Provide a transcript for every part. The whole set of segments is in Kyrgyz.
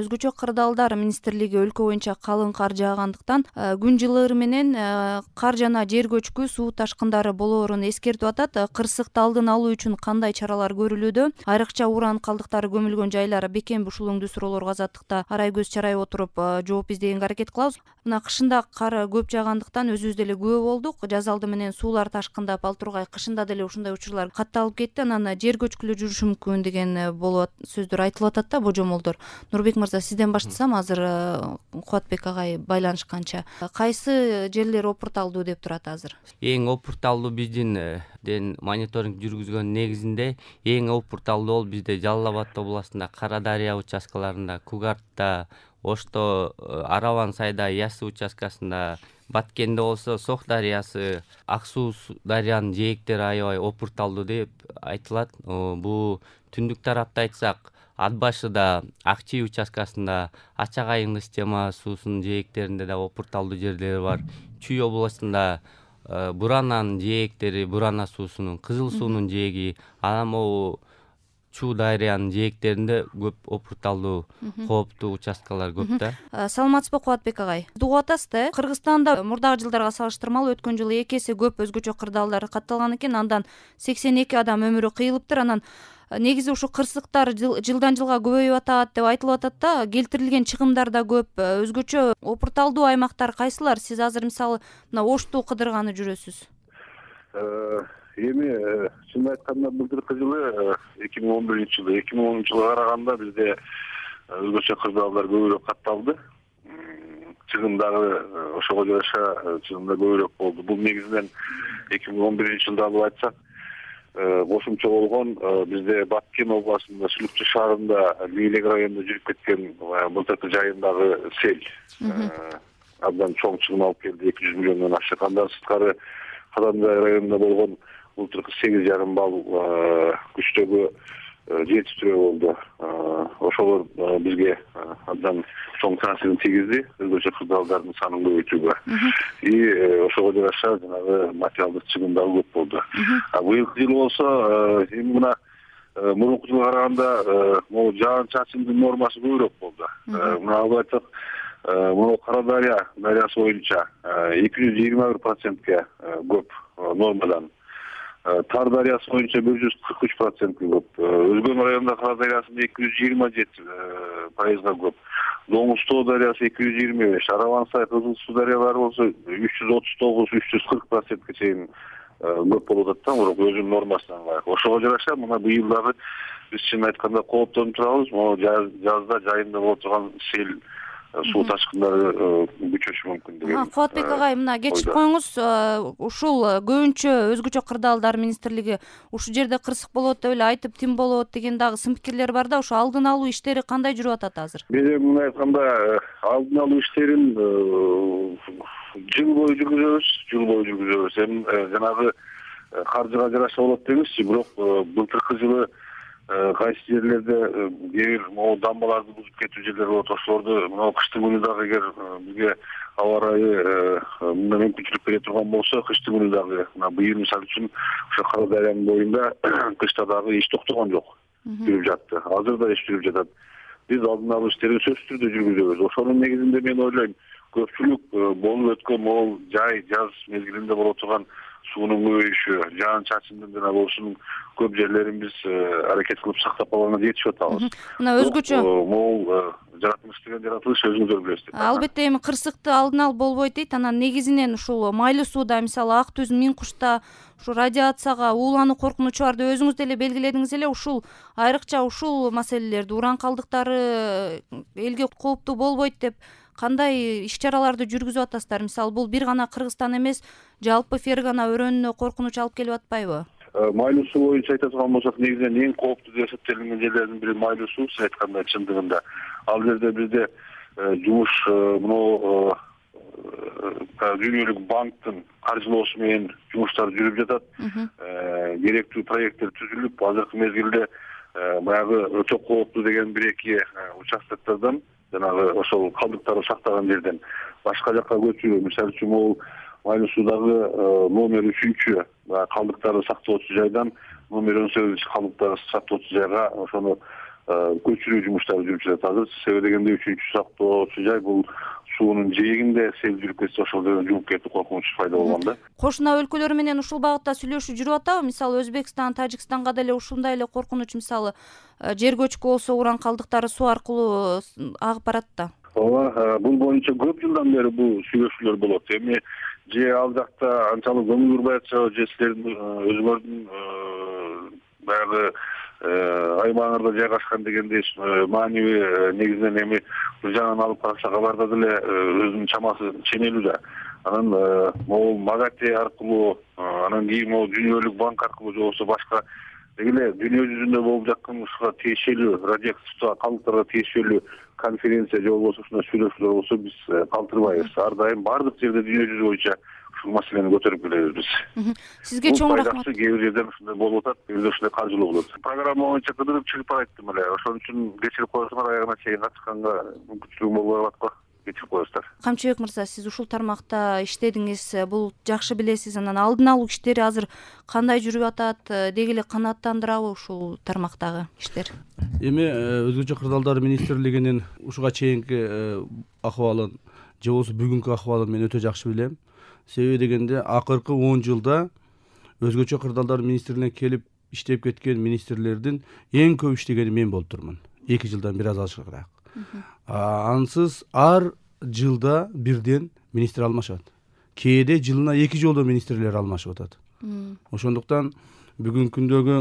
Өзгөчө кырдаалдар министрлиги өлкө боюнча калың кар жаагандыктан күн жылыары менен кар жана жер көчкү, суу ташкындары болоорун эскертип атат. Кырсыкты алдын алуу үчүн кандай чаралар көрүлүүдө? Айрыкча уран калдыктары көмүлгөн жайлар бекем ушул суроолорго азаттыкта арай көз чарай отуруп жооп издегенге аракет кылабыз. Мына кышында кар көп жаагандыктан өзүбүз деле күбө болдук. Жаз алды менен суулар ташкындап, ал тургай кышында деле ушундай учурлар катталып кетти. Анан жер көчкүлүү жүрүшү мүмкүн деген болуп сөздөр айтылып атат да, божомолдор. Нурбек мырза, сизден баштасам, азыр Кубатбек агай байланышканча кайсы жерлер опурталдуу деп турат азыр? Эң опурталдуу биздин мониторинг жүргүзгөн негизинде эң опурталдуу ол бизде Жалал Абад областында Кара Дарыя участкаларында, Кугартта, Ошто, Араван сайда Ясы участкасында, Баткенде болсо Сох дарыясы, Ак суу дарыянын жээктери аябай опурталдуу деп айтылат. Бул түндүк тарапта айтсак, Ат башыда, Ак Чий участкасында, Ачак айылы система суусунун жээктеринде да опурталдуу жерлер бар. Чүй областында Бурананын жээктери, Бурана суусунун, Кызыл суунун жээги, анан могу Чуу дарыянын жээктеринде көп опурталдуу кооптуу участкалар көп да. Саламатсызбы Кубатбек агай? Угуп атасыз да, Кыргызстанда мурдагы жылдарга салыштырмалуу өткөн жылы 2 эсе көп өзгөчө кырдаалдар катталган экен. Андан 82 адам өмүрү кыйылыптыр. Анан негизи ушу кырсыктар жылдан жылга көбөйүп атат деп айтылып атат да. Келтирилген чыгымдар да көп. Өзгөчө опурталдуу аймактар кайсылар? Сиз азыр мисалы мына Ошту кыдырганы жүрөсүз. Эми чын айтканда былтыркы жылы 2011-жылы 2010-жылга караганда бизде өзгөчө кырдаалдар көбүрөөк катталды. Чыгым дагы ошого жараша чыгымда көбүрөөк болду. Бул негизинен 2011-жылда алып айтсак, кошумча болгон бизде Баткен областында, Сүлүкчү шаарында, Бийлек районунда жүрүп кеткен былтыркы жайындагы сел абдан чоң чыгым алып келди, 200 миллиондон ашык. Андан сырткары Каданжай районунда болгон былтыркы 8,5 балл күчтөгү жетиштирүү болду. Ошолор бизге абдан чоң таасирин тийгизди, өзгөчө кырдаалдардын санын көбөйтүүгө. Ошого жараша жанагы материалдык чыгым дагы көп болду. Быйылкы жылы болсо эми мына мурунку жылга караганда могу жаан-чачындын нормасы көбүрөөк болду. Мына алып айтсак, мына Кара Дарыя дарыясы боюнча 221%ке көп нормадан. Тар дарыясы боюнча 143%ке көп. Өзгөн районунда Кара дарыясында 227%га көп. Доңузтоо дарыясы 225, Араван сай, Кызыл суу дарыялары болсо 339-340%ке чейин көп болуп атат да, өзүнүн нормасына ылайык. Ошого жараша мына быйыл дагы биз чын айтканда кооптонуп турабыз. Могу жазда жайында боло турган сел, суу ташкындары күчөшү мүмкүн деген. Кубатбек агай, мына кечип коюңуз, ушул көбүнчө өзгөчө кырдаалдар министрлиги ушул жерде кырсык болот деп эле айтып, тим болот деген дагы сын пикирлер бар да. Ошо алдын алуу иштери кандай жүрүп атат азыр? Биз мына айтканда алдын алуу иштерин жыл бою жүргүзөбүз. Эми жанагы каржыга жараша болот деңизчи, бирок былтыркы жылы кайсы жерлерде кээ бир могу дамбаларды бузуп кетүү жерлер болот. Ошолорду мына кыштын күнү дагы эгер бизге аба ырайы мындай мүмкүнчүлүк бере турган болсо, кыштын күнү дагы мына быйыл мисалы үчүн ошо Кара Дарыянын боюнда кышта дагы иш токтогон жок, жүрүп жатты. Азыр да иш жүрүп жатат. Биз алдын алуу иштерин сөзсүз түрдө жүргүзөбүз. Ошонун негизинде мен ойлойм, көпчүлүк болуп өткөн могул жаз мезгилинде боло турган суунун көбөйүшү, жаан-чачындын жана ушунун көп жерлерин биз аракет кылып сактап калганга жетишип атабыз. Мына өзгөчө могул жаратылыш деген жаратылыш өзүңүздөр билесиздер. Албетте, эми кырсыкты алдын алып болбойт дейт. Анан негизинен ушул майлуу сууда, мисалы Ак Түз, Миң Кушта ушу радиацияга уулануу коркунучу бар деп өзүңүз деле белгиледиңиз эле. Ушул айрыкча ушул маселелерди, уран калдыктары элге кооптуу болбойт деп кандай иш-чараларды жүргүзүп атасыздар? Мисалы бул бир гана Кыргызстан эмес, жалпы Фергана өрөөнүнө коркунуч алып келип атпайбы? Майлуу суу боюнча айта турган болсок, негизинен эң кооптуу деп эсептелинген жерлердин бири майлуу суу, сиз айткандай чындыгында. Ал жерде бизде жумуш мына Дүйнөлүк банктын каржылоосу менен жумуштар жүрүп жатат. Керектүү проекттер түзүлүп, азыркы мезгилде баягы өтө кооптуу деген 1-2 участоктардан, жанагы ошол калдыктарды сактаган жерден башка жакка көчүү, мисалы үчүн могул майлуу суудагы номер 3 калдыктарды сактоочу жайдан номер 18 калдыктарды сактоочу жайга ошону көчүрүү жумуштары жүрүп жатат азыр. Себеби дегенде 3-сактоочу жай бул суунун жээгинде сел жүрүп кетсе ошол жерден жууп кетип коркунуч пайда болгон да. Кошуна өлкөлөр менен ушул багытта сүйлөшүү жүрүп атабы? Мисалы Өзбекстан, Тажикстанга деле ушундай эле коркунуч, мисалы жер көчкү болсо уран калдыктары суу аркылуу агып барат да. Ооба, бул боюнча көп жылдан бери бул сүйлөшүүлөр болот. Эми же ал жакта анчалык көңүл бурбай атышабы, же силердин өзүңөрдүн баягы аймагыңарда жайгашкан дегендей маанилүү негизинен эми бул жагынан алып караса кабарда деле өзүнүн чамасы ченелүү да. Анан могул МАГАТЭ аркылуу, анан кийин могул Дүйнөлүк банк аркылуу же болбосо башка эле дүйнө жүзүндө болуп жаткан ушуга тиешелүү радиоактивдүү калдыктарга тиешелүү конференция же болбосо ушундай сүйлөшүүлөр болсо биз калтырбайбыз. Ар дайым баардык жерде дүйнө жүзү боюнча ушул маселени көтөрүп келебиз биз. Сизге чоң рахмат. Кээ бир жерден ушундай болуп атат, кээ бирде ушундай каржылоо болот. Программа боюнча кыдырып чыгып барайттым эле. Ошон үчүн кечирип коесуңар, аягына чейин катышканга мүмкүнчүлүгүм болбой калат го. Кечирип коесуздар. Камчыбек мырза, сиз ушул тармакта иштедиңиз, бул жакшы билесиз. Анан алдын алуу иштери азыр кандай жүрүп атат? Деги эле канааттандырабы ушул тармактагы иштер? Эми өзгөчө кырдаалдар министрлигинин ушуга чейинки акыбалын же болбосо бүгүнкү акыбалын мен өтө жакшы билем. Себеби дегенде акыркы 10 жылда өзгөчө кырдаалдар министрлигине келип иштеп кеткен министрлердин эң көп иштегени мен болуп турмун. 2 жылдан бир аз ашыгыраак. Ансыз ар жылда бирден министр алмашат. Кээде жылына 2 жолдо министрлер алмашып атат. Ошондуктан бүгүнкү күндөгү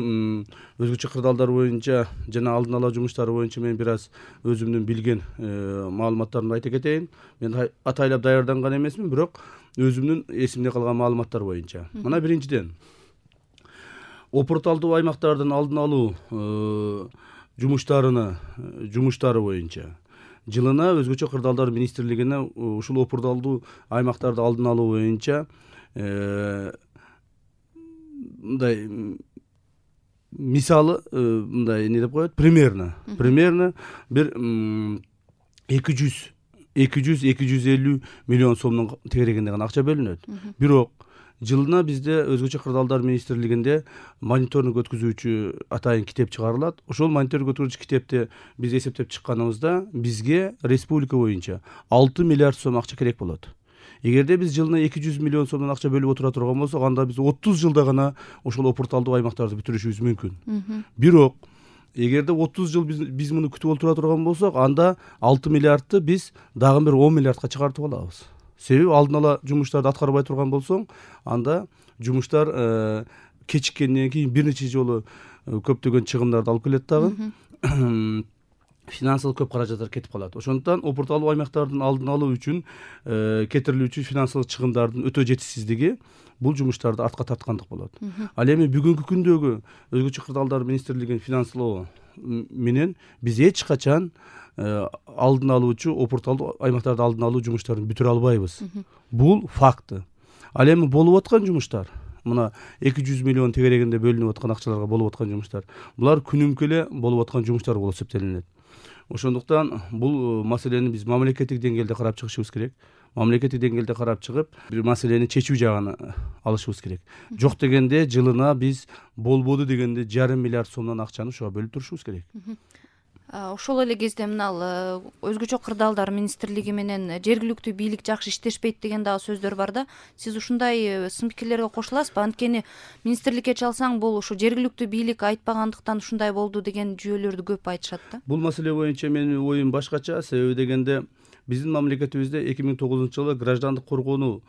өзгөчө кырдаалдар боюнча жана алдын ала жумуштары боюнча мен бир аз өзүмдүн билген маалыматтарымды айта кетейин. Мен атайлап даярданган эмесмин, бирок өзүмдүн эсимде калган маалыматтар боюнча. Мына биринчиден опурталдуу аймактардын алдын алуу жумуштары боюнча жылына өзгөчө кырдаалдар министрлигине ушул опурталдуу аймактарды алдын алуу боюнча мындай мисалы мындай эмне деп коет, примерно бир 200-250 миллион сомдун тегерегинде гана акча бөлүнөт. Бирок жылына бизде өзгөчө кырдаалдар министрлигинде мониторинг өткүзүүчү атайын китеп чыгарылат. Ошол мониторинг өткүзүүчү китепте биз эсептеп чыкканыбызда бизге республика боюнча 6 миллиард сом акча керек болот. Эгерде биз жылына 200 миллион сомдон акча бөлүп отура турган болсок, анда биз 30 жылда гана ошол опурталдуу аймактарды бүтүрүшүбүз мүмкүн. Бирок эгерде 30 жыл биз муну күтүп отура турган болсок, анда 6 миллиардты биз дагы бир 10 миллиардка чыгартып алабыз. Себеби алдын ала жумуштарды аткарбай турган болсоң, анда жумуштар кечиккенден кийин бир нече жолу көптөгөн чыгымдарды алып келет дагы. Финансылык көп каражаттар кетип калат. Ошондуктан опурталдуу аймактардын алдын алуу үчүн кетирилүүчү финансылык чыгымдардын өтө жетишсиздиги бул жумуштарды артка тарткандык болот. Ал эми бүгүнкү күндөгү өзгөчө кырдаалдар министрлигинин финанслоо менен биз эч качан алдын алуучу опурталдуу аймактарды алдын алуу жумуштарын бүтүрө албайбыз. Бул факты. Ал эми болуп аткан жумуштар, мына 200 миллион тегерегинде бөлүнүп аткан акчаларга болуп аткан жумуштар, булар күнүмкө эле болуп аткан жумуштар болуп эсептелинет. Ошондуктан бул маселени биз мамлекеттик деңгээлде карап чыгышыбыз керек. Мамлекеттик деңгээлде карап чыгып, бир маселени чечүү жагын алышыбыз керек. Жок дегенде жылына биз болбоду дегенде 1,5 миллиард сомдон акчаны ушуга бөлүп турушубуз керек. Ошол эле кезде мына өзгөчө кырдаалдар министрлиги менен жергиликтүү бийлик жакшы иштешпейт деген дагы сөздөр бар да. Сиз ушундай сын пикирлерге кошуласызбы? Анткени министрликке чалсаң, бул ушу жергиликтүү бийлик айтпагандыктан ушундай болду деген жүйөлөрдү көп айтышат да. Бул маселе боюнча менин оюм башкача. Себеби дегенде биздин мамлекетибизде 2009-жылы граждандык коргонуу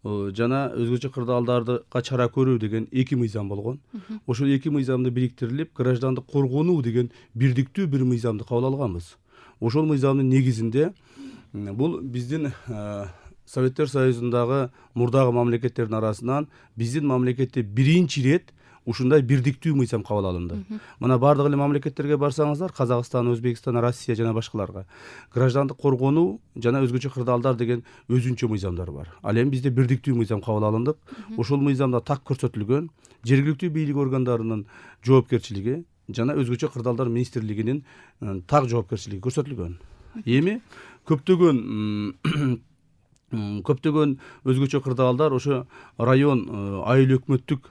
жана өзгөчө кырдаалдарга чара көрүү деген 2 мыйзам болгон. Ошол 2 мыйзамды бириктирилип, граждандык коргонуу деген бирдиктүү бир мыйзамды кабыл алганбыз. Ошол мыйзамдын негизинде бул биздин Советтер Союзундагы мурдагы мамлекеттердин арасынан биздин мамлекетте биринчи ирет ушундай бирдиктүү мыйзам кабыл алынды. Мына бардык эле мамлекеттерге барсаңыздар, Казакстан, Өзбекстан, Россия жана башкаларга граждандык коргонуу жана өзгөчө кырдаалдар деген өзүнчө мыйзамдар бар. Ал эми бизде бирдиктүү мыйзам кабыл алындык. Ошол мыйзамда так көрсөтүлгөн жергиликтүү бийлик органдарынын жоопкерчилиги жана өзгөчө кырдаалдар министрлигинин так жоопкерчилиги көрсөтүлгөн. Эми көптөгөн өзгөчө кырдаалдар ошо район айыл өкмөттүк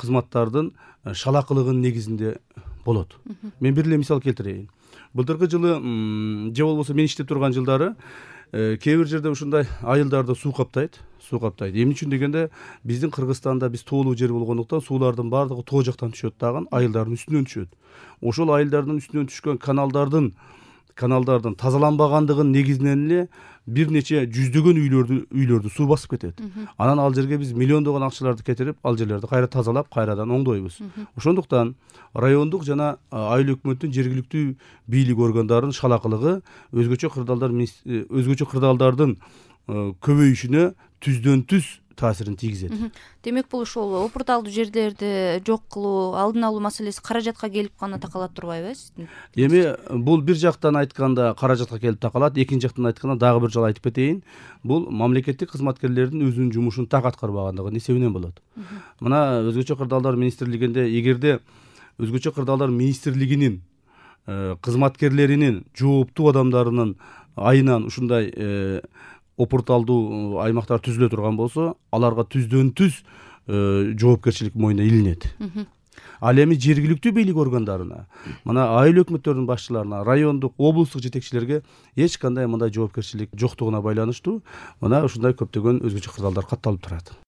кызматтардын шалакылыгынын негизинде болот. Мен бир эле мисал келтирейин. Былтыркы жылы же болбосо мен иштеп турган жылдары кээ бир жерде ушундай айылдарды суу каптайт. Эмне үчүн дегенде биздин Кыргызстанда биз тоолуу жер болгондуктан суулардын баардыгы тоо жактан түшөт дагы, айылдардын үстүнөн түшөт. Ошол айылдардын үстүнөн түшкөн каналдардын тазаланбагандыгынын негизинен эле бир нече жүздөгөн үйлөрдү суу басып кетет. Анан ал жерге биз миллиондогон акчаларды кетирип, ал жерлерди кайра тазалап, кайрадан оңдойбуз. Ошондуктан райондук жана айыл өкмөттүн жергиликтүү бийлик органдарынын шалакылыгы өзгөчө кырдаалдардын көбөйүшүнө түздөн түз таасирин тийгизет. Демек бул ошол опурталдуу жерлерди жок кылуу, алдын алуу маселеси каражатка келип гана такалат турбайбы сиздин? Эми бул бир жактан айтканда каражатка келип такалат, экинчи жактан айтканда дагы бир жолу айтып кетейин, бул мамлекеттик кызматкерлердин өзүнүн жумушун так аткарбагандыгынын эсебинен болот. Мына өзгөчө кырдаалдар министрлигинде эгерде өзгөчө кырдаалдар министрлигинин кызматкерлеринин жооптуу адамдарынын айынан ушундай опурталдуу аймактар түзүлө турган болсо, аларга түздөн түз жоопкерчилик мойнуна илинет. Ал эми жергиликтүү бийлик органдарына, мына айыл өкмөттөрүнүн башчыларына, райондук, облустук жетекчилерге эч кандай мындай жоопкерчилик жоктугуна байланыштуу мына ушундай көптөгөн өзгөчө кырдаалдар катталып турат.